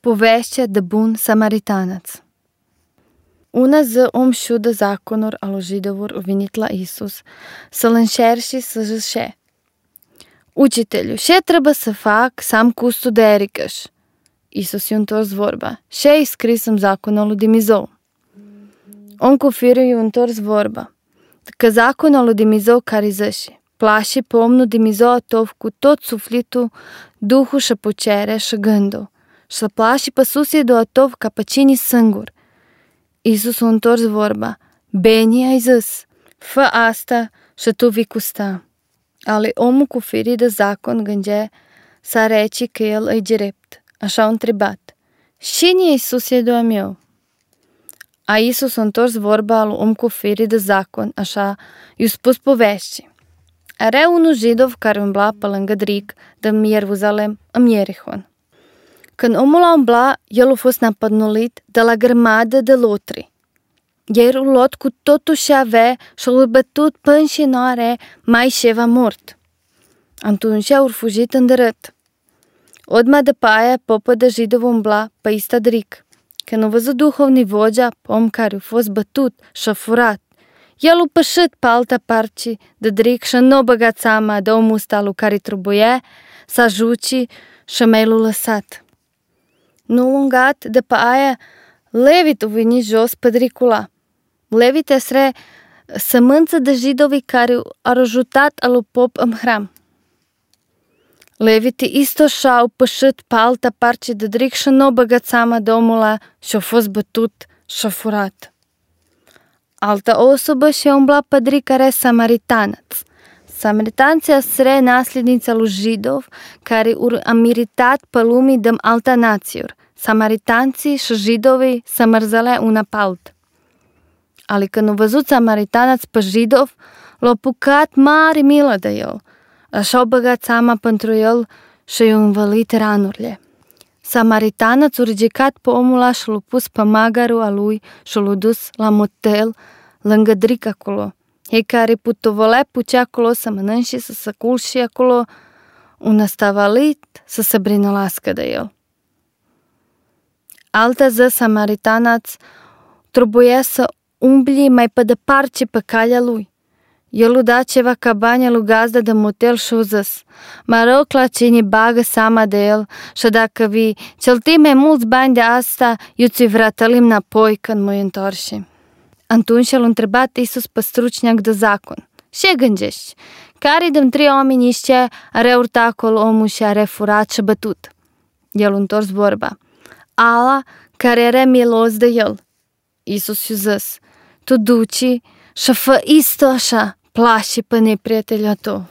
Povešća de bun samaritanac. Una zi om șudă zaconul al židovur venit la Isus să-l înșerși să zice: Učitelju, ce trebuie să fac să am custul de ericăș? Isus i-a întors vorba: Ce e scris în zaconul lui Dumnezeu? Om cu firul i-a întors vorba: Că zaconul lui Dumnezeu care zice: Plași pe omul Dumnezeu atov cu tot sufletul, duhul și pucerea și gândul, și să plași pe susedul atov ca pe cine singur. Isus a întors vorba: Bine ai zis, fă asta și tu vei custa. Ale omul cu firii de zacon gândea să rece că el e drept. Așa a întrebat: Cine e susedul meu? A Isus a întors vorba al om cu firii de zacon, așa i-a spus povești. Era unul židov care umbla pe lângă Dric de Ierusalem în Ierihon. Când omul a umbla, el a fost napădnulit de la grămadă de lotri. Ei au luat cu totul ce avea și l-au bătut până și nu are mai ceva mort. Atunci au fugit în dărât. Odmah de paia, popă de židov umbla pe ista Dric. Când a văzut duhovni vocea, om care a fost bătut și a furat, el a pășit pe altă parte de Dric și nu a băgat seama de omul ăsta lui care trebuia să ajuci și mai l-a lăsat. Nu lungat de pe aia, Levit a venit jos pe Dricula. Levit este sămânță de židovi care au ajutat alu pop în hram. Leviti isto și-au pășit pe altă parte de Dric și nu a băgat seama de omul ăla și a fost bătut și a furat. Altă osobă și-a umblat pe Dric care e samaritanac. Samaritanții sunt naslednița lui židov care au meritat pe lumii de alta națiuri. Samaritanții și židovii se mărzălea una pe alt. Ale când au văzut samaritanac pe židov, l-au apucat mare milă de el. Așa au băgat seama pentru el și i-au învălit ranurile. Samaritanac a ridicat pe omul ăla și l-a pus pe magarul a lui și l-a dus la motel lângă Dric acolo. Ei care putovolea pucea acolo să mănânce, să se culce acolo, un astavalit să se brinolască de el. Altă zi samaritanac trebuia să umbli mai pe departe pe calea lui. El a dat ceva cabane lui gazda de motel și a zis: Mă rog la cine bagă seama de el și dacă vii celti mai mulți bani de asta, eu ți-i vrătălim înapoi când mă întorși. Atunci l-a întrebat Isus pe strucniac de zacon: Ce gândești? Care din 3 oameni ăștia are urtat acolo omul și are furat și bătut? El a întors vorba: Ala care era milos de el. Isus i-a zis: Tu duci și fă isto așa, plași pe neprietelul tău.